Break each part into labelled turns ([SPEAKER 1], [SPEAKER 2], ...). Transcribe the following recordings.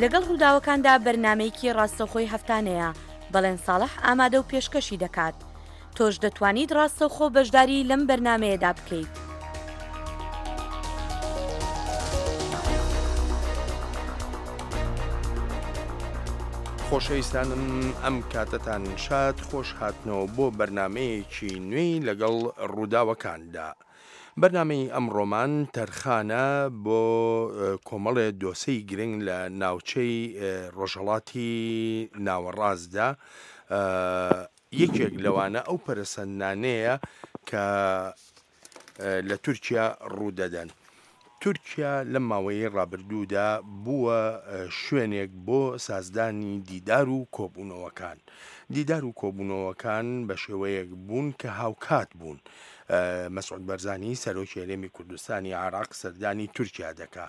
[SPEAKER 1] لەگەڵ ڕووداوەکاندا بەرنامەیەکی ڕاستەوخۆی هەفتانەیە، بەڵێن ساڵح ئامادە و پێشکەشی دەکات. تۆش دەتوانیت ڕاستەوخۆ بەشداری لەم بەرنامەیەدا بکەیت.
[SPEAKER 2] خۆشەویستانم ئەم کاتەتان شاد خۆش هاتنەوە بۆ بەرنمەیەکی نوێی لەگەڵ ڕووداوەکاندا. بەرنامەی ئەمڕۆمان تەرخانە بۆ کۆمەڵێ دۆسێی گرنگ لە ناوچەی ڕۆژهەڵاتی ناوەڕاستدا، یەکێک لەوانە ئەو پەرەسەندنانەیە کە لە تورکیا ڕوودەدەن. تورکیا لەم ماوەیەی ڕابردوودا بووە شوێنێک بۆ سازدانی دیدار و کۆبوونەوەکان. دیدار و کۆبوونەوەکان بە شێوەیەک بوون کە هاوکات بوون. مەسعود بەرزانی سەرۆکی هەرێمی کوردستانی عێراق سەردانی تورکیا دەکا.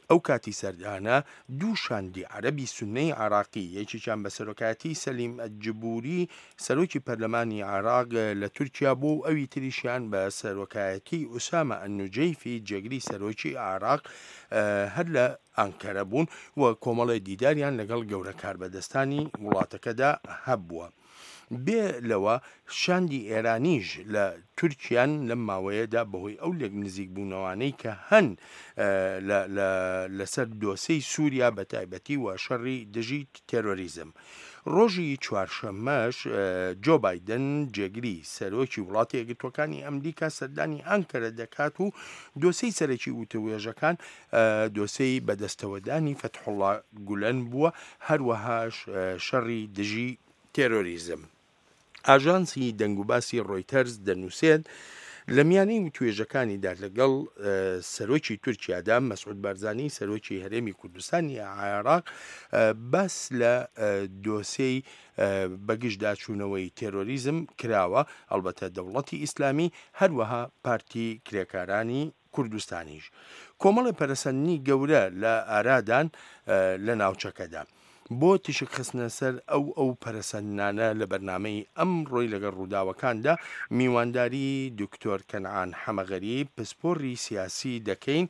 [SPEAKER 2] ئەو کاتی سەردانە دوو شاندی عەرەبی سوننەی عێراقی، یەکێکیان بە سەرۆکایەتی سەلیم ئەلجبوری سەرۆکی پەرلەمانی عێراق لە تورکیا بوو و ئەوی تریشیان بە سەرۆکایەتی ئوسامە ئەلنوجەیفی جێگری سەرۆکی عێراق هەر لە ئانکەرە بوون و کۆمەڵێ دیداریان لەگەڵ گەورە کاربەدەستانی وڵاتەکەدا هەبووە. بێ لەوە شاندی ئێرانیش لە تورکیان لەم ماوەیەدا بەهۆی ئەو لێک نزیکبوونەوانەی کە هەن لەسەر دۆسێی سووریا بە تایبەتی و شەڕی دژی تێرۆریزم. ڕۆژی چوارشەممەش جۆ بایدن جێگری سەرۆکی وڵاتە یەکگرتووەکانی ئەمریکا سەردانی ئانکەرە دەکات و دۆسێی سەرەکی وتووێژەکان دۆسێی بەدەستەوەدانی فەتحوڵا گولەن بووە، هەروەهاش شەڕی دژی تێرۆریزم. ئاژانسی دەنگوباسی ڕۆیتەرز دەنووسێت، لە میانەی وتوێژەکانیدا لەگەڵ سەرۆکی تورکیادا، مەسعود بارزانی سەرۆکی هەرێمی کوردستانی عێراق باس لە دۆسێی بەگژداچوونەوەی تێرۆریزم کراوە، ئەڵبەتە دەوڵەتی ئیسلامی، هەروەها پارتی کرێکارانی کوردستانیش کۆمەڵێ پەرەسەندنی گەورە لە ئارادان لە ناوچەکەدا. بۆ تیشک خستنە سەر ئەو ئەو پەرەسەندنانە لە بەرنامەی ئەمڕۆی لەگەڵ ڕووداوەکاندا میوانداری دکتۆر کەنعان حەمەغەریب پسپۆڕی سیاسی دەکەین.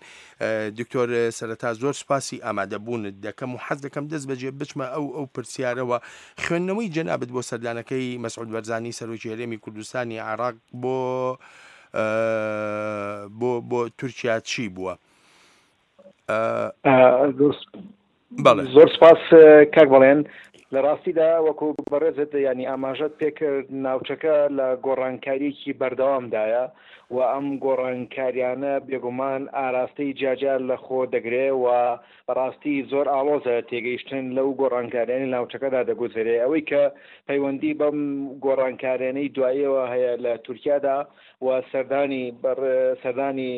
[SPEAKER 2] دکتۆر سەرەتا زۆر سوپاسی ئامادەبوونت دەکەم و حەز دەکەم دەست بەجێ بچمە ئەو ئەو پرسیارەوە خوێندنەوەی جەنابت بۆ سەردانەکەی مەسعود بەرزانی سەرۆکی هەرێمی کوردستانی عێراق بۆ بۆ بۆ تورکیا چی بووە؟
[SPEAKER 3] زۆر سپاس کاک بەڵێن لە ڕاستیدا وەکو بەڕێزت ینی ئاماژەت پێکرد ناوچەکە لە گۆڕانکاریەکی بەردەوامدایە و ئەم گۆڕانکاریانە بێگومان ئاراستەی جیاجیا لە خۆ دەگرێ و بەڕاستی زۆر ئاڵۆزە تێگەیشتن لەو گۆڕانکاریانەی ناوچەکەدا دەگوزەرێ ئەوەی کە پەیوەندی بەم گۆڕانکاریانەی دواییەوە هەیە لە تورکیادا و سەردانی سەردانی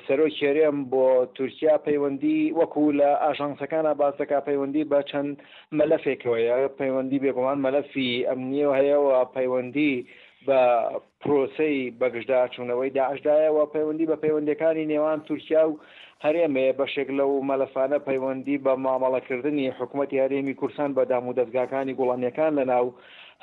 [SPEAKER 3] سەرۆکی هەرێم بۆ تورکیا پەیوەندی وەکو لە ئاژانسەکانە باس دەکا پەیوەندی بە چەند مەلەفێکەوەیە پەیوەندی بێگومان مەلەفی ئەمنیەوە هەیە و پەیوەندی بە پرۆسەی بەگژداچوونەوەی داعشدایە و پەیوەندی بە پەیوەندییەکانی نێوان تورکیا و هەرێم هەیە، بەشێک لەو مەلەفانە پەیوەندی بە مامەڵەکردنی حکومەتی هەرێمی کوردستان بە دامودەزگاکانی گوڵانییەکان لەناو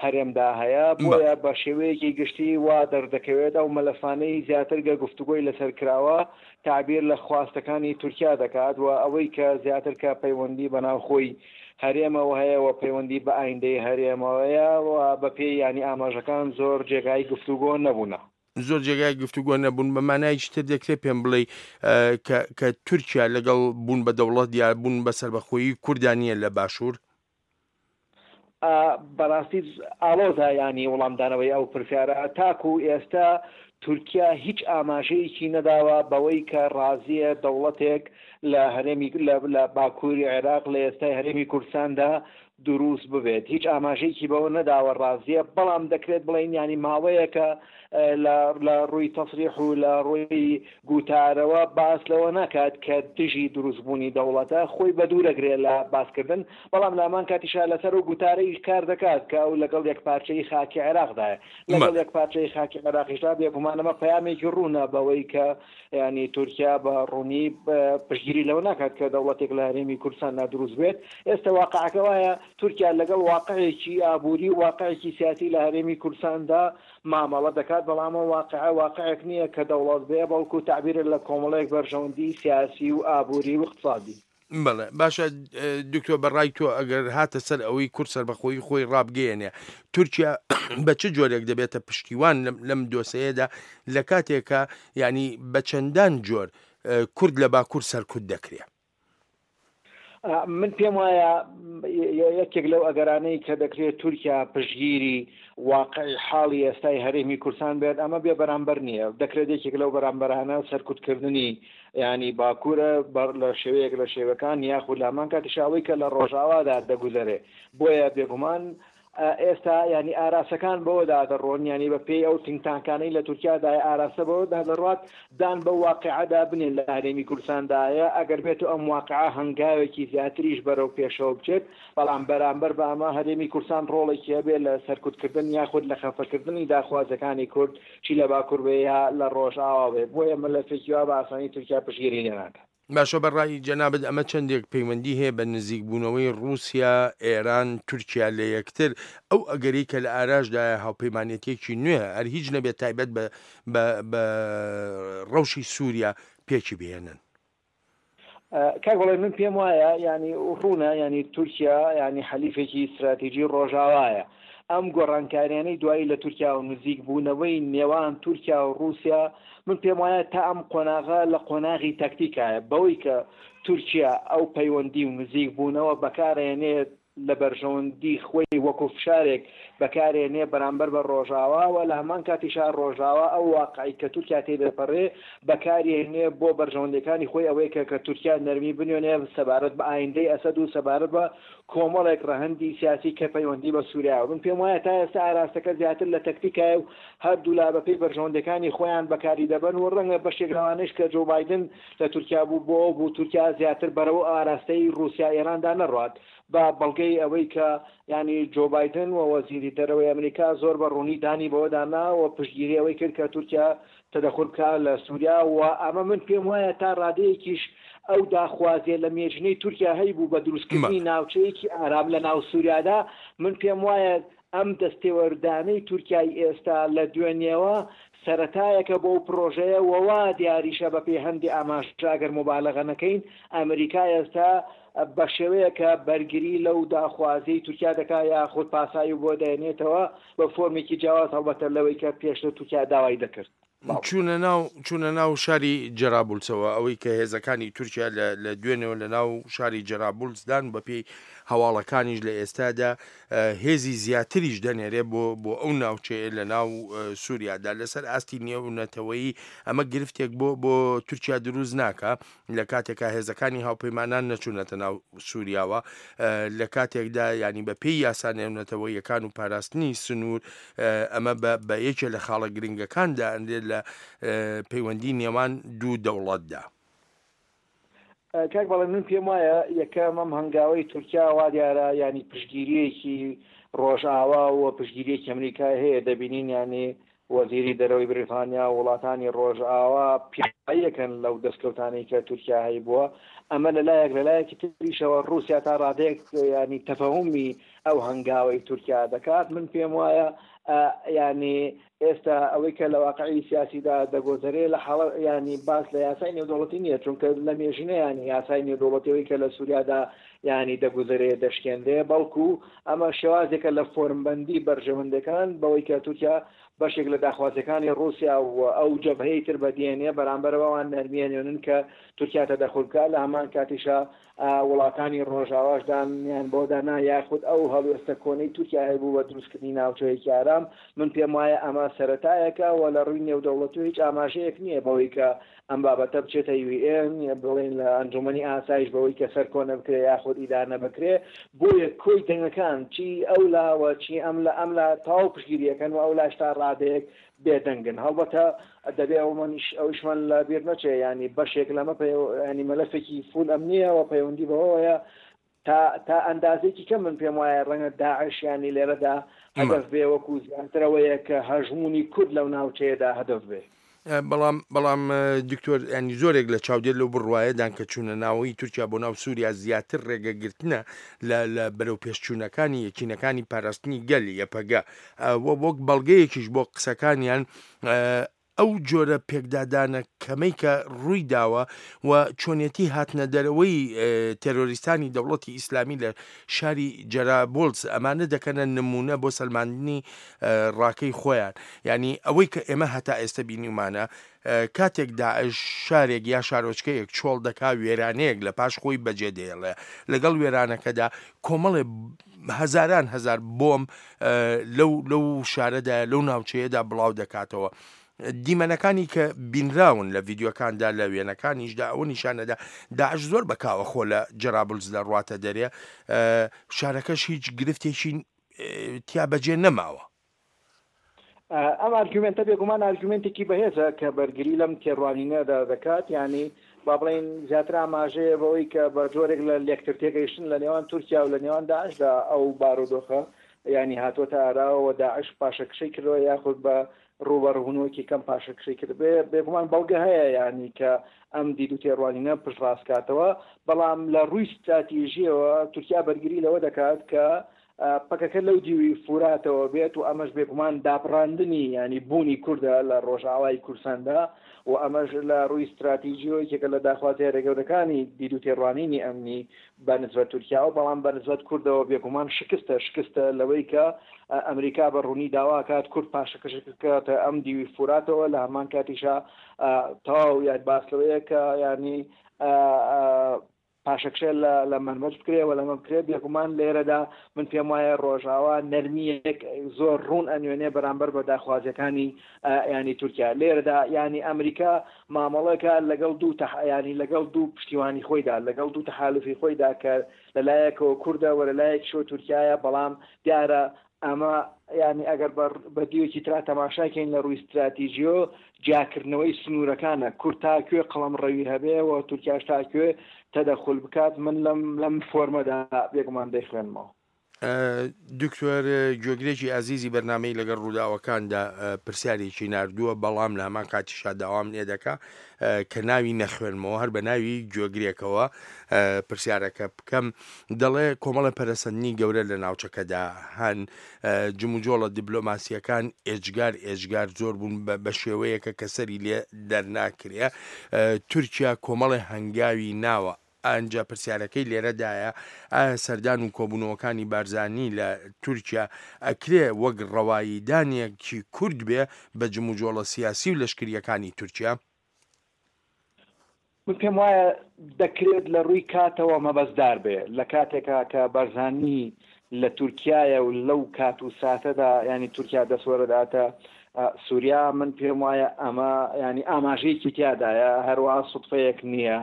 [SPEAKER 3] هەرێمدا هەیە، بۆیە بە شێوەیەکی گشتی وا دەردەکەوێت ئەو مەلەفانەی زیاتر گە گفتوگۆی لەسەر کراوە تەعبیر لە خواستەکانی تورکیا دەکات و ئەوەی کە زیاتر کە پەیوەندی بە ناوخۆی هەرێمەوە هەیە و پەیوەندی بە ئایندەی هەرێمەوەیە و بە پێی یانی ئاماژەکان زۆر جێگای گفتوگۆ نەبوونە.
[SPEAKER 2] زۆر جێگای گفتوگۆ نەبوون بە مانایەکی تر دەکرێت پێم بڵێی کە کە تورکیا لەگەڵ بوون بە دەوڵەت یا بوون بە سەربەخۆیی کوردا نییە لە باشوور؟
[SPEAKER 3] بەڕاستی ئاڵۆزە یانی وڵامدانەوەی ئەو پرسیارە تاکو ئێستا تورکیا هیچ ئاماژەیەکی نەداوە بەوەی کە ڕازیە دەوڵەتێک لە هەرێمی لە باکووری عێراق لە ئێستای هەرێمی کوردستاندا دروست ببێت هیچ ئاماژەیەکی بەوە نەداوە ڕازیە بەڵام دەکرێت بڵێین یانی ماوەیەکە لە لە ڕووی تەسریح و لە ڕووی گوتارەوە باس لەوە ناکات کە دژی دروستبوونی دەوڵەتە، خۆی بەدوورەگرێ لە باسکردن، بەڵام لە هەمان کاتیشا لەسەر ئەو گوتارەیش کار دەکات کە ئەو لەگەڵ یەکپارچەیی خاکی عێراقدایە. لەگەڵ یەکپارچەیی خاکی عێراقیشدا بێگومان ئەمە پەیامێکی ڕوونە بەوەی کە یانی تورکیا بە ڕوونی پشتگیری لەوە ناکات کە دەوڵەتێک لە هەرێمی کوردستاندا دروست بێت. ئێستە واقعەکە وایە تورکیا لەگەڵ واقعێکی ئابووری و واقعێکی سیاسی لە هەرێمی کوردستاندا مامەڵە دەکات، بەڵام ئەم واقعە واقعێک نییە کە دەوڵەت بێ، بەڵکو تەعبیرە لە کۆمەڵێک بەرژەوەندیی سیاسی و ئابووری و ئیقتسادی.
[SPEAKER 2] بەڵێ باشە دکتۆر بە ڕای تۆ ئەگەر هاتە سەر ئەوەی کورد سەربەخۆیی خۆی ڕابگەیەنێ تورکیا بە چ جۆرێک دەبێتە پشتیوان لەم دۆسەیەدا لە کاتێکە ینی بە چەندان جۆر کورد لە باکوور سەرکوت دەکرێ؟
[SPEAKER 3] من پێم وایە یەکێک لەو ئەگەرانەی کە دەکرێت تورکیا پشتگیری واقعی حاڵی ئێستای هەرێمی کوردستان بێت ئەمە بێ بەرامبەر نییە دەکرێت یەکێک لەو بەرامبەرانە سەرکوتکردنی ینی باکوورە لە شێوەیەک لە شێوەکان یاخود لامان کاتیشا ئەوەی کە لە ڕۆژاوادا دەگوزەرێ بۆیە بێگومان ئێستا یانی ئاراسەکان بەوەدا دەڕۆن یانی بە پێی ئەو تینک تانکانەی لە تورکیادایە ئاراستە بەوەدا دەڕوات دان بەو واقیعەدا بنێن لە هەرێمی کوردستاندایە ئەگەر بێتو ئەم واقیعە هەنگاوێکی زیاتریش بەرەو پێشەوە بچێت بەڵام بەرامبەر بە ئەمە هەرێمی کوردستان ڕۆڵێکی هەبێت لە سەرکوتکردن یاخود لە خەفەکردنی داخوازەکانی کورد چی لە باکور بێ یا لە ڕۆژئاوا بێ بۆیە مەلەفێکی وا بە ئاسانی تورکیا پشتگیری لێ ناکات.
[SPEAKER 2] باشە بە ڕای جەنابت ئەمە چەندێک پەیوەندی هەیە بە نزیک بوونەوەی ڕووسیا، ئێران، تورکیا لە یەکتر، ئەو ئەگەرەی کە لە ئاراشدایە هاوپەیمانێتیەکی نوێ هەر هیچ نەبێت تایبەت بە بە بە ڕەوشی سووریا پێکی بهێنن؟
[SPEAKER 3] کاک بەڵێن من پێم وایە یانی ڕوونە یانی تورکیا یانی حەلیفێکی ستراتیجی ڕۆژاوایە ئەم گۆڕانکاریانەی دوایی لە تورکیا و نزیک بوونەوەی نێوان تورکیا و ڕووسیا من پێم وایە تا ئەم قۆناغە لە قۆناغی تەکتیکایە بەوەی کە تورکیا ئەو پەیوەندی و نزیک بوونەوە بەکارئەیەنێت لە بەرژەوەندی خۆی وەکو فشارێک بەکارێنێ بەرامبەر بە ڕۆژاوا و لە هەمان کاتیشا ڕۆژاوا ئەو واقعی کە تورکیا تێی دەپەڕێ بەکاریێنێ بۆ بەرژەوەندیەکانی خۆی ئەوەیە کە کە تورکیا نەرمی بنوێنێ سەبارەت بە ئایندەی ئەسەد و سەبارەت بە کۆمەڵێک ڕەهەندی سیاسی کە پەیوەندی بە سوریاوە من پێم وایە تا ئێستا ئاراستەکە زیاتر لە تەکتیکایە و هەردوولا بەپێی بەرژەوەندیەکانی خۆیان بەکاری دەبەن و ڕەنگە بەشێک لەوانەیش کە جۆ بایدن لە تورکیا بوو بۆ ئەو بوو تورکیا زیاتر بەرەو ئاراستەی ڕووسیا ئێراندا نەڕوات بە بەڵگەی ئەوەی کە یانی جۆ بایدن و وەزیری دەرەوەی ئەمریکا زۆر بە ڕوونی دانی بەوەدا نا و پشتگیری ئەوەی کرد کە تورکیا تەدەخول بکا لە سووریا و ئەمە من پێم وایە تا ڕادەیەکیش ئەو داخوازیە لە مێژینەی تورکیا هەیبوو بە دروستکردنی ناوچەیەکی ئارام لە ناو سووریادا من پێم وایە ئەم دەستێوەردانەی تورکیای ئێستا لە دوێنێوە سەرەتایەکە بۆ ئەو پڕۆژەیە و وا دیاریشە بە پێی هەندێ ئاماژە ئەگەر موبالەغە نەکەین ئەمریکا ئێستا بە شێوەیەکە بەرگری لەو داخوازیەی تورکیا دەکا یاخود پاساوی بۆ دەێنێتەوە بە فۆرمێکی جیاواز هەڵبەتە لەوەی کە پێشتر تورکیا داوای دەکرد.
[SPEAKER 2] چوونە ناو چوونە ناو شاری جەرابولسەوە ئەوەی کە هێزەکانی تورکیا لە لە دوێنێوە لە ناو شاری جەرابولسدان بەپێی هەواڵەکانیش لە ئێستادا هێزی زیاتریش دەنێرێ بۆ بۆ ئەو ناوچەیە لە ناو سووریادا لەسەر ئاستی نێونەتەوەیی ئەمە گرفتێک بۆ بۆ تورکیا دروست ناکە لە کاتێکا هێزەکانی هاوپەیمانان نەچوونەتە ناو سووریاوە لە کاتێکدا ینی بە پێی یاسا نێونەتەوەیەکان و پاراستنی سنوور ئەمە بە یەکێ لە خاڵە گرنگەکاندا ئەندێت لە پەیوەندی نێوان دوو دەوڵەتدا.
[SPEAKER 3] کاک بەڵێن من پێم وایە یەکەم ئەم هەنگاوەی تورکیا وا دیارە ینی پشتگیریەکی ڕۆژئاوا و پشتگیریەکی ئەمریکای هەیە دەبینین ینی وەزیری دەرەوەی بریتانیا و وڵاتانی ڕۆژئاوا پیاوەکەن لەو دەستکەوتانەی کە تورکیا هەیبووە ئەمە لەلایەک لەلایەکی تریشەوە ڕووسیا تا ڕادەیەک ینی تەفەهومی ئەو هەنگاوەی تورکیا دەکات من پێم وایە ینی ئێستا ئەوەی کە لە واقعی سیاسیدا دەگۆزەرێ لە حاڵە ینی باس لە یاسای نێودەوڵەتی نییە چونکە لە مێژینە ینی یاسای نێودەوڵەتیەوەی کە لە سووریادا ینی دەگوزەرێ دەشکێنرێ بەڵکو ئەمە شێوازێکە لە فۆرمبەندی بەرژەوەندەکان بەوەی کە تورکیا بەشێک لە داخوازیەکانی ڕووسیا و ئەو جەبهەی تر بەدیێنێ بەرامبەر بەوان نەرمیەنێنن کە تورکیا تەدەخول بکات لە هەمان کاتیشا وڵاتانی ڕۆژاواش دانیان بەوەدا نا یاخود ئەو هەڵوێستە کۆنەی تورکیا هەیبوو بە دروستکردنی ناوچەیەکی ئارام، من پێم وایە ئەمە سەرەتایەکە و لە ڕووی نێودەوڵەتی هیچ ئاماژەیەک نییە بەوەی کە ئەم بابەتە بچێتە یو ئێن بڵێین لە ئەنجومەنی ئاسایش بەوەی کە سەرکۆنە بکرێ یاخود ئیدانە بکرێ، بۆیە کۆی دەنگەکان چی ئەو لاوە چی ئەم لە ئەم لا تەواو پشتگیریەکەن و ئەو لاش تا ڕادەیەک بێدەنگن هەڵبەتە دەبێ ئەومانیش ئەویشمان لە بیر نەچێ یانی بەشێک لەمە ینی مەلەفێکی فول ئەمنییە و پەیوەندی بەوەیە تا تا ئەندازێکی کەم من پێم وایە ڕەنگە داعش ینی لێرەدا هەدەف بێ وەکو زیاترەوەیە کە هەژمونی کورد لەو ناوچەیەدا هەدەف بێ.
[SPEAKER 2] بەڵام بەڵام دکتۆر ینی زۆرێک لە چاودێر لەو بڕوایەدان کە چوونە ناوەی تورکیا بۆ ناو سووریا زیاتر ڕێگەگرتنە لە لە بەرەو پێشچوونەکانی یەکینەکانی پاراستنی گەل یەپەگە وەک بەڵگەیەکیش بۆ قسەکانیان. ئەو جۆرە پێکدادانە کەمەی کە ڕووی داوە و چۆنیەتی هاتنە دەرەوەی تێرۆریستانی دەوڵەتی ئیسلامی لە شاری جەرابوڵس ئەمانە دەکەنە نموونە بۆ سەلماندنی ڕاکەی خۆیان. یانی ئەوەی کە ئێمە هەتا ئێستە بینیومانە کاتێک داعش شارێک یا شارۆچکەیەک چۆڵ دەکا وێرانەیەک لە پاش خۆی بەجێ دێڵێ لەگەڵ وێرانەکەدا کۆمەڵێ هەزاران هەزار بۆم لەو لەو شارەدا لەو ناوچەیەدا بڵاو دەکاتەوە. دیمەنەکانی کە بینراون لە ڤیددیوکاندا لە وێنەکانیشدا ئەوە نیشانەدا داعش زۆر بەکاوە خۆ لە جەرابلز لە ڕواتە دەرێ شارەکەش هیچ گرفتێکی تیا بەجێ نەماوە.
[SPEAKER 3] ئەم ئارگومێنتە بێگومان ئارگومێنتێکی بەهێزە کە بەرگری لەم تێڕوانینەدا دەکات، یانی با بڵێین زیاتر ئاماژەیە بەوەی کە بە جۆرێک لە لێکتر تێگەیشتن لە نێوان تورکیا و لە نێوان داعشدا ئەو بارودۆخە یانی هاتووەتە ئاراوە و داعش پاشەکشەی کردووە یاخود بە ڕووبەڕووبوونەوەیەکی کەم پاشەکشەی کردبێ. بێگومان بەڵگە هەیە یانی کە ئەم دید و تێڕوانینە پشتڕاست کاتەوە، بەڵام لە ڕووی ستراتیژییەوە تورکیا بەرگری لەوە دەکات کە پەکەکە لەو دیوی فوراتەوە بێت و ئەمەش بێگومان دابڕاندنی یانی بوونی کوردە لە ڕۆژئاوای کوردستاندا و ئەمەش لە ڕووی ستراتیژیەوە یەکێکە لە داخوازیە هەرە گەورەکانی دید و تێڕوانینی ئەمنی بە نسبەت تورکیاوە، بەڵام بە نسبەت کوردەوە بێگومان شکستە، شکستە لەوەی کە ئەمریکا بە ڕوونی داوا کات کورد پاشەکەشە بکاتە ئەم دیوی فوراتەوە، لە هەمان کاتیشا تەواو یان باس لەوەیە کە یانی پاشەکشە لە لە مەنبەج بکرێ و لەمە بکرێ، بێگومان لێرەدا من پێم وایە ڕۆژاوا نەرمییەک زۆر ڕوون ئەنوێنێ بەرامبەر بە داخوازیەکانی یانی تورکیا لێرەدا یانی ئەمریکا مامەڵەکە لەگەڵ دوو تە یانی لەگەڵ دوو پشتیوانی خۆیدا لەگەڵ دوو تەحالوفی خۆیدا کە لە لایەکەوە کوردە و لە لایەکیشەوە تورکیایە بەڵام دیارە ئەمە یانی ئەگەر بە بە دیوێکی ترا تەماشای کەین لە ڕووی ستراتیجیۆ جیاکردنەوەی سنوورەکانە کورد تا کوێ قەڵەمڕەوی هەبێ و تورکیاش تا کوێ تەدەخول بکات من لەم لەم فۆرمەدا بێگومان دەیخوێنمەوە.
[SPEAKER 2] دکتۆر گوێگرێکی ئازیزی بەرنامەی لەگەڵ ڕووداوەکاندا پرسیارێکی ناردووە بەڵام لە هەمان کاتیشا داوام لێ دەکا کە ناوی نەخوێنمەوە هەر بە ناوی گوێگرێکەوە پرسیارەکە بکەم دەڵێ کۆمەڵە پەرەسەندنی گەورە لە ناوچەکەدا هەن جموجۆڵە دیبلۆماسیەکان ئێجگار ئێجگار زۆر بوون بە شێوەیەکە کە سەری لێ دەرناکرێ تورکیا کۆمەڵێ هەنگاوی ناوە ئەنجا پرسیارەکەی لێرەدایە ئایا سەردان و کۆبوونەوەکانی بارزانی لە تورکیا ئەکرێ وەک ڕەواییدانێکی کورد بێ بە جموجۆڵە سیاسی و لەشکرییەکانی تورکیا؟
[SPEAKER 3] من پێم وایە دەکرێت لە ڕووی کاتەوە مەبەستدار بێ، لە کاتێکا کە بارزانی لە تورکیایە و لەو کات و ساتەدا یانی تورکیا دەستوەرەداتە سوریا، من پێم وایە ئەمە یانی ئاماژەیەکی تیادایە، هەروا سوتفەیەک نییە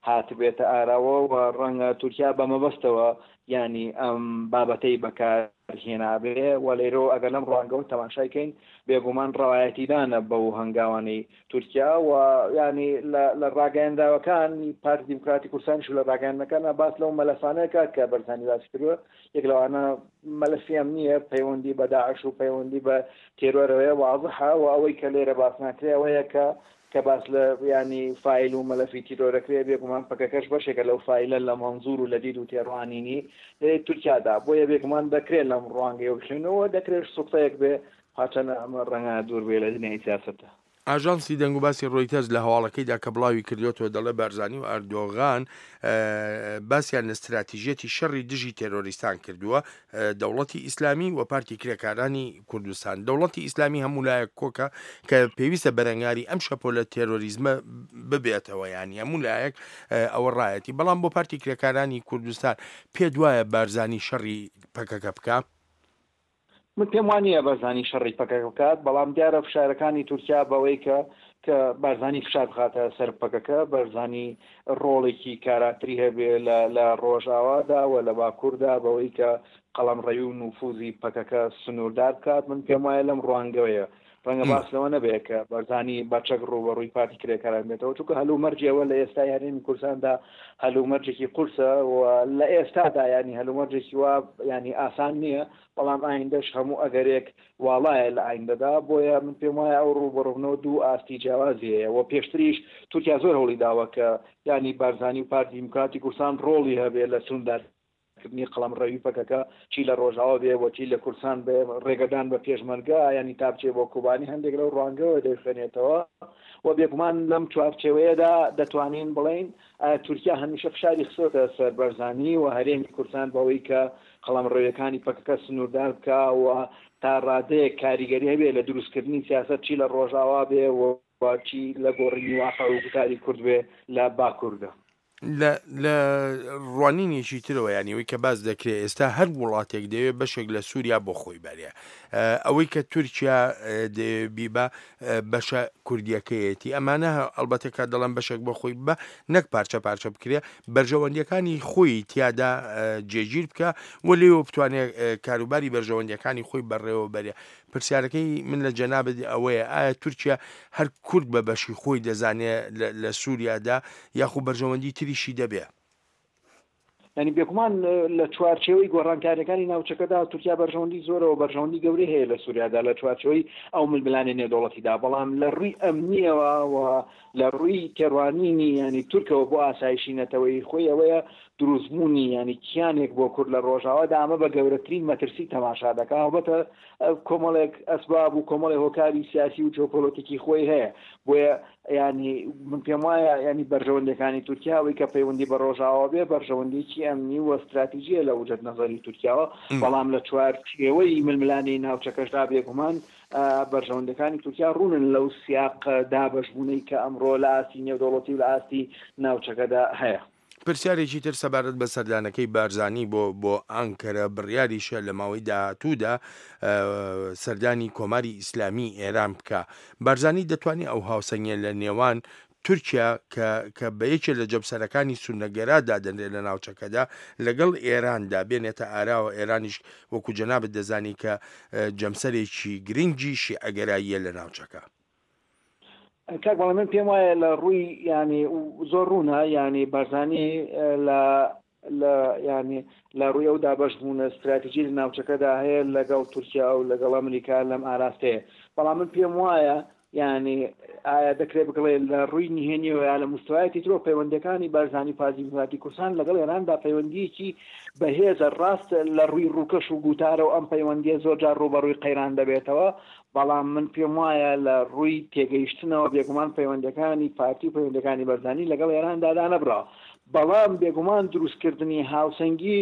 [SPEAKER 3] هاتبێتە ئاراوە و ڕەنگە تورکیا بە مەبەستەوە یانی ئەم بابەتەی بەکار هێنابێ و لێرەوە ئەگەر لەم ڕوانگەوە تەماشای کەین بێگومان ڕەوایەتیدانە بەو هەنگاوانەی تورکیا و یانی لە لە ڕاگەیەنراوەکانی پارتی دیموکراتی کوردستانیش و لە ڕاگەیاندنەکانە باس لەو مەلەفانە کات کە بەرزانی باسی کردووە یەک لەوانە مەلەفی ئەمنییە پەیوەندی بە داعش و پەیوەندی بە تێرۆرەوەیە وازحە و ئەوەی کە لێرە باس ناکرێ ئەوەیە کە کە باس لە یانی فایل و مەلەفی تیرۆرەکرێ بێگومان پەکەکەش بەشێکە لەو فایلە لە مەنزور و لە دید و تێڕوانینی تورکیادا بۆیە بێگومان دەکرێت لەم ڕوانگەیەوە بخوێنەوە دەکرێت سوتفەیەک بێ هەرچەندە ئەمە ڕەنگە دوور بێ لە دنیای سیاسەتە.
[SPEAKER 2] ئاژانسی دەنگوباسی ڕۆیتەرز لە هەواڵەکەیدا کە بڵاوی کردووەتەوە دەڵێ بارزانی و ئەردۆغان باسیان لە ستراتیژیەتی شەڕی دژی تێرۆریستان کردووە، دەوڵەتی ئیسلامی و پارتی کرێکارانی کوردستان. دەوڵەتی ئیسلامی هەموو لایەک کۆکە کە پێویستە بەرەنگاری ئەم شەپۆلە تێرۆریزمە ببێتەوە یانی هەموو لایەک ئەوە ڕایەتی بەڵام بۆ پارتی کرێکارانی کوردستان پێت وایە بارزانی شەڕی پەکەکە بکا؟
[SPEAKER 3] من پێم وا نییە بارزانی شەڕی پەکەکە بکات، بەڵام دیارە فشارەکانی تورکیا بەوەی کە کە بارزانی فشار بخاتە سەر پەکەکە، بارزانی ڕۆڵێکی کاراتری هەبێ لە لە ڕۆژاوادا و لە باکووردا بەوەی کە قەڵەمڕەوی و نفوزی پەکەکە سنووردار بکات، من پێم وایە لەم ڕوانگەوەیە. ڕەنگە باس لەوە نەبێ کە بارزانی بە چەک ڕووبەڕووی پارتی کرێکاران بێتەوە، چونکە هەلومەرجی ئەوە لە ئێستای هەرێمی کوردستاندا هەلومەرجێکی قورسە و لە ئێستادا یانی هەلومەرجێکی وا یانی ئاسان نییە، بەڵام ئایندەش هەموو ئەگەرێک واڵایە لە ئایندەدا، بۆیە من پێم وایە ئەو ڕووبەڕووبنەوە دوو ئاستی جیاوازی هەیە و پێشتریش تورکیا زۆر هەوڵی داوە کە یانی بارزانی و پارتی دیموکراتی کوردستان ڕۆڵی هەبێ لە سنووردار. سنووردارکردنی قەڵەمڕەوی پەکەکە چی لە ڕۆژاوا بێ و چی لە کوردستان بێ، ڕێگەدان بە پێشمەرگە یانی تا بچێ بۆ کۆبانی هەندێک لەو ڕوانگەوە دەیخوێنێتەوە و بێگومان لەم چوارچێوەیەدا دەتوانین بڵێین تورکیا هەمیشە فشاری خستۆتە سەر بەرزانی و هەرێمی کوردستان بەوەی کە قەڵەمڕەویەکانی پەکەکە سنووردار بکا و تا ڕادەیەک کاریگەری هەبێ لە دروستکردنی سیاسەت چی لە ڕۆژاوا بێ و چی لە گۆڕینی واقع و گوتاری کورد بێ لە باکووردا.
[SPEAKER 2] لە لە ڕوانینێکی ترەوە یانی ئەوەی کە باس دەکرێ ئێستا هەر وڵاتێک دەیەوێ بەشێک لە سووریا بۆ خۆی بەرێ ئەوەی کە تورکیا دەیەوێ بیبا بەشە کوردیەکەیەتی ئەمانە ئەڵبەتە کە دەڵێم بەشێک بۆ خۆی ببا نەک پارچە پارچە بکرێ بەرژەوەندیەکانی خۆی تیادا جێگیر بکە و لێوە بتوانێت کاروباری بەرژەوەندیەکانی خۆی بەڕێوە بەرێ پرسیارەکەی من لە جەنابت ئەوەیە ئایا تورکیا هەر کورد بە بەشی خۆی دەزانێ لە سووریادا یاخو بەرژەوەندی تریشی دەبێ؟
[SPEAKER 3] یانی بێگومان لە چوارچێوەی گۆڕانکاریەکانی ناوچەکەدا تورکیا بەرژەوەندی زۆرەوە بەرژەوەندی گەورەی هەیە لە سووریادا لە چوارچێوەی ئەو ململانێ نێودەوڵەتیدا بەڵام لە ڕووی ئەمنیەوە و لە ڕووی تێڕوانینی ینی تورکەوە بۆ ئاسایشی نەتەوەیی خۆی ئەوەیە دروستبوونی ینی کیانێک بۆ کورد لە ڕۆژاوادا ئەمە بە گەورەترین مەترسی تەماشا دەکا هەڵبەتە کۆمەڵێک ئەسباب و کۆمەڵێک هۆکاری سیاسی و جیۆپۆلۆتیکی خۆی هەیە بۆیە یانی من پێم وایە یانی بەرژەوەندیەکانی تورکیا ئەوەی کە پەیوەندی بە ڕۆژاوا بێ بەرژەوەندیکی ئەمنی و ستراتیژیە لە وجهت نەزەری تورکیاوە بەڵام لە چوارچێوەی ململانێی ناوچەکەشدا بێگومان بەرژەوەندەکانی تورکیا ڕوونن لەو سیاق دابەشبوونەی کە ئەمڕۆ لە ئاستی نێودەوڵەتی و لە ئاستی ناوچەکەدا هەیە.
[SPEAKER 2] پرسیارێکی تر سەبارەت بە سەردانەکەی بارزانی بۆ بۆ ئانکەرە، بڕیاریشە لە ماوەی داهاتوودا سەردانی کۆماری ئیسلامی ئێران بکا. بارزانی دەتوانێ ئەو هاوسەنگیە لە نێوان تورکیا کە کە بە یەکێ لە جەمسەرەکانی سوننەگەرا دادەنرێ لە ناوچەکەدا لەگەڵ ئێراندا بێنێتە ئاراوە، ئێرانیش وەکو جەنابت دەزانی کە جەمسەرێکی گرنگی شیعەگەراییە لە ناوچەکە.
[SPEAKER 3] کاک بەڵێ من پێم وایە لە ڕووی ینی زۆر ڕوونە ینی بارزانی لە لە ینی لە ڕووی ئەو دابەش بوونە استراتیژی لە ناوچەکەدا هەیە لەگەڵ تورکیا و لەگەڵ ئەمریکا لەم ئاراستەیە بەڵام من پێم وایە یعنی ئایا دەکرێت بگڵێ لە ڕووی نهێنیەوە یا لە مستوایەتی ترۆ پەیوەندەکانی بارزانی پارتی دیموکراتی کوردستان لەگەڵ ئێراندا پەیوەندیەکی بەهێزە ڕاست لە ڕووی ڕووکەش و گوتارە و ئەم پەیوەندیە زۆر جار ڕووبەڕووی قەیران دەبێتەوە بەڵام من پێم وایە لە ڕووی تێگەیشتنەوە بێگومان پەیوەندەکانی پارتی و پەیوەندەکانی بەرزانی لەگەڵ ئێراندا دانەبراوە بەڵام بێگومان دروستکردنی هاوسەنگی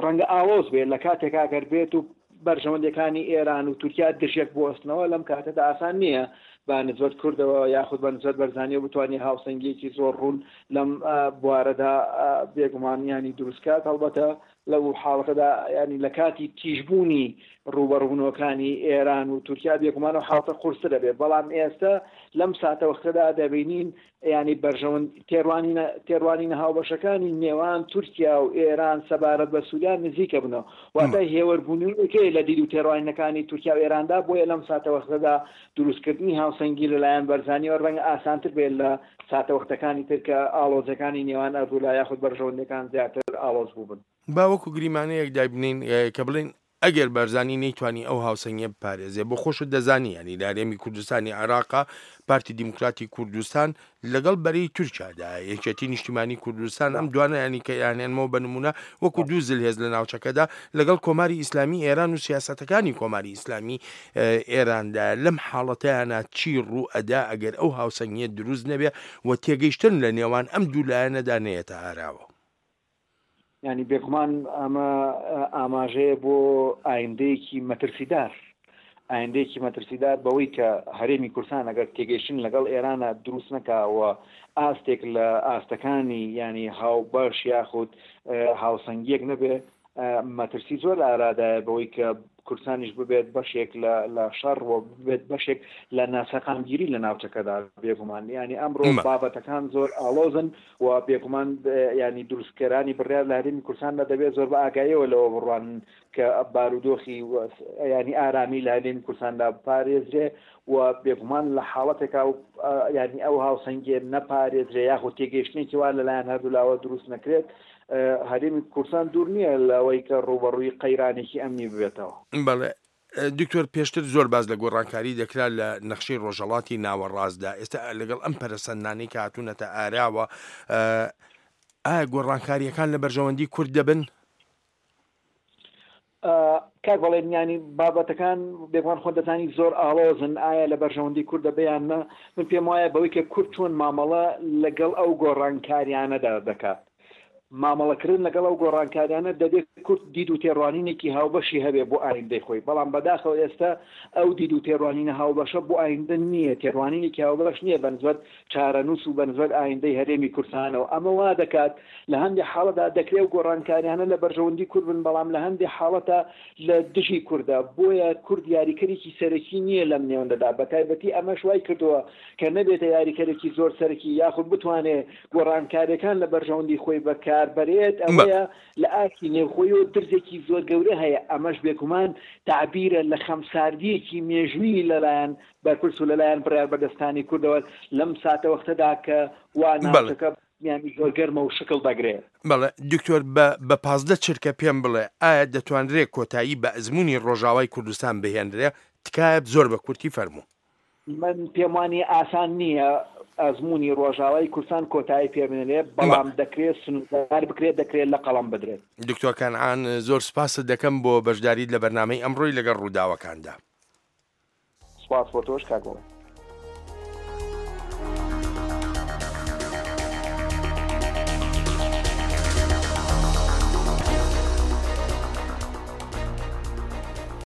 [SPEAKER 3] ڕەنگە ئاڵۆز بێت لە کاتێکا گەر بێت و بەرژەوەندیەکانی ئێران و تورکیا دژیەک بوەستنەوە لەم کاتەدا ئاسان نییە بە نسبەت کوردەوە یاخود بە نسبەت بەرزانیەوە بتوانێت هاوسەنگیەکی زۆر ڕوون لەم بوارەدا بێگومان ینی دروستکات هەڵبەتە لەو حاڵەتەدا یانی لە کاتی تیژبوونی ڕووبەڕووبوونەوەکانی ئێران و تورکیا بێگومان ئەو حاڵەتە قورستر دەبێت، بەڵام ئێستا لەم ساتەوەختەدا دەبینین یانی بەرژەوەند تێڕوانینە تێڕوانینە هاوبەشەکانی نێوان تورکیا و ئێران سەبارەت بە سووریا نزیکە بنەوە، واتە هێوەربوونەوەیەک هەیە لە دید و تێڕوانینەکانی تورکیا و ئێراندا، بۆیە لەم ساتەوەختەدا دروستکردنی هاوسەنگی لەلایەن بەرزانییەوە ڕەنگە ئاسانتر بێت لە ساتەوەختەکانی تر کە ئاڵۆزیەکانی نێوان ئەردوولا یاخود بەرژەوەندیەکان زیاتر ئاڵۆز بووبن.
[SPEAKER 2] با وەکو گریمانەیەک دایبنێین کە بڵێین ئەگەر بارزانی نەیتوانی ئەو هاوسەنگیە بپارێزێ، بۆ خۆشت دەزانی یانی لە هەرێمی کوردستانی عێراقا پارتی دیموکراتی کوردستان لەگەڵ بەرەی تورکیادایە، یەکێتی نیشتیمانی کوردستان ئەم دوانە یانی کە یانێنمەوە بە نمونە وەکو دوو زلهێز لە ناوچەکەدا لەگەڵ کۆماری ئیسلامی ئێران و سیاسەتەکانی کۆماری ئیسلامی ئێراندایە، لەم حاڵەتەیانا چی ڕوو ئەدا ئەگەر ئەو هاوسەنگیە دروست نەبێ و تێگەیشتن لە نێوان ئەم دوو لایەنەدا نەیەتە ئاراوە؟
[SPEAKER 3] یانی بێگومان ئەمە ئاماژەیە بۆ ئایندەیەکی مەترسیدار، ئایندەیەکی مەترسیدار بەوەی کە هەرێمی کوردستان ئەگەر تێگەیشتن لەگەڵ ئێرانە دروست نەکا و ئاستێک لە ئاستەکانی یانی هاوبەش یاخود هاوسەنگیەک نەبێ مەترسی زۆر لە ئارادایە بەوەی کە کوردستانیش ببێت بەشێک لە لە شەڕ و ببێت بەشێک لە ناسەقامگیری لە ناوچەکەدا بێگومان یانی ئەمڕۆ بابەتەکان زۆر ئاڵۆزن و بێگومان یانی دروستکەرانی بڕیار لە هەرێمی کوردستاندا دەبێت زۆر بە ئاگاییەوە لەوە بڕوانن کە بارودۆخی ینی ئارامی لە هەرێمی کوردستاندا بپارێزرێ و بێگومان لە حاڵەتێکا و ینی ئەو هاوسەنگیە نەپارێزرێ یاخود تێگەیشتنێکی وا لەلایەن هەردوولاوە دروست نەکرێت هەرێمی کوردستان دوور نییە لەوەی کە ڕووبەڕووی قەیرانێکی ئەمنی ببێتەوە.
[SPEAKER 2] بەڵێ دکتۆر پێشتر زۆر باس لە گۆڕانکاری دەکرا لە نەخشەی ڕۆژهەڵاتی ناوەڕاستدا، ئێستا لەگەڵ ئەم پەرەسەندنانەی کە هاتوونەتە ئاراوە ئایا گۆڕانکارییەکان لە بەرژەوەندی کورد دەبن؟
[SPEAKER 3] کاک بەڵێن یانی بابەتەکان بێگومان خۆت دەزانی زۆر ئاڵۆزن ئایا لە بەرژەوەندی کوردە بێ یان نا من پێم وایە بەوەی کە کورد چۆن مامەڵە لەگەڵ ئەو گۆڕانکاریانەدا دەکات مامەڵەکردن لەگەڵ ئەو گۆڕانکاریانە دەبێت کورد دید و تێڕوانینێکی هاوبەشی هەبێ بۆ ئایندەی خۆی بەڵام بەداخەوە ئێستا ئەو دید و تێڕوانینە هاوبەشە بۆ ئایندە نییە تێڕوانینێکی هاوبەش نییە بەنسبەت چارەنووس و بەنسبەت ئایندەی هەرێمی کوردستانەوە، ئەمە وا دەکات لە هەندێ حاڵەتدا دەکرێ ئەو گۆڕانکاریانە لە بەرژەوەندی کورد بن، بەڵام لە هەندێ حاڵەتا لە دژی کوردە، بۆیە کورد یاریکەرێکی سەرەکی نییە لەم نێوەندەدا، بەتایبەتی ئەمەش وای کردووە کە نەبێتە یاریکەرێکی زۆر سەرەکی یاخود بتوانێ گۆڕانکاریەکان لە بەرژەوەندی خۆی بەکار بەرێت، ئەوەیە لە ئاستی نێوخۆیەوە درزێکی زۆر گەورە هەیە، ئەمەش بێگومان تەعبیرە لە خەمساردییەکی مێژوویی لەلایەن بەرپرس و لەلایەن بڕیاربەدەستانی کوردەوە لەم ساتەوەختەدا کە وا ناوچەکە یانی زۆر گەرمە و شکڵ دەگرێ.
[SPEAKER 2] بەڵێ دکتۆر بە بە 15 چرکە پێم بڵێ ئایا دەتوانرێ کۆتایی بە ئەزموونی ڕۆژاوای کوردستان بهێنرێ؟ تکایە زۆر بە کورتی فەرموو.
[SPEAKER 3] من پێم وانیە ئاسان نییە ئەزموونی ڕۆژاوای کوردستان کۆتایی پێ بنرێ، بەڵام دەکرێ سنووردار بکرێت، دەکرێ لە قەڵەم بدرێت.
[SPEAKER 2] دکتۆر کەنعان زۆر سپاست دەکەم بۆ بەشداریت لە بەرنامەی ئەمڕۆی لەگەڵ ڕووداوەکاندا.
[SPEAKER 3] سپاس بۆ تۆش کاک بەڵێن.